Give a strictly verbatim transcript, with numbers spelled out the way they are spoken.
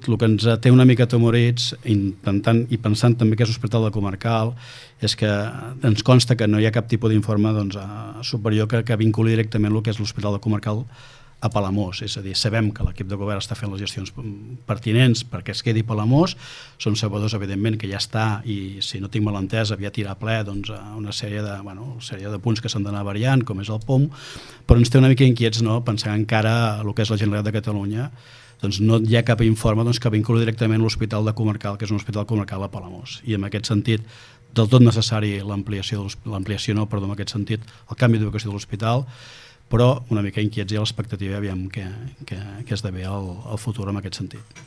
el que ens té una mica atemorits, intentant i pensant també que és l'Hospital de Comarcal, és que ens consta que no hi ha cap tipus d'informe doncs, superior que, que vinculi directament el que és l'Hospital de Comarcal a Palamós, és a dir, sabem que l'equip de govern està fent les gestions pertinents perquè es quedi Palamós, són sabedors evidentment que ja està i si no tinc mal entès aviat irà ple doncs, una sèrie de, bueno, una sèrie de punts que s'han d'anar variant, com és el P O M, però ens té una mica inquiets, no?, pensant encara el que és la Generalitat de Catalunya, doncs no hi ha cap informe doncs, que vinculi directament l'Hospital de Comarcal, que és un hospital comarcal a Palamós, i en aquest sentit del tot necessari l'ampliació, l'ampliació no, perdó, en aquest sentit, el canvi d'ubicació de l'hospital, però una mica inquiets i a l'expectativa aviam què, què, què esdevé el, el futur en aquest sentit.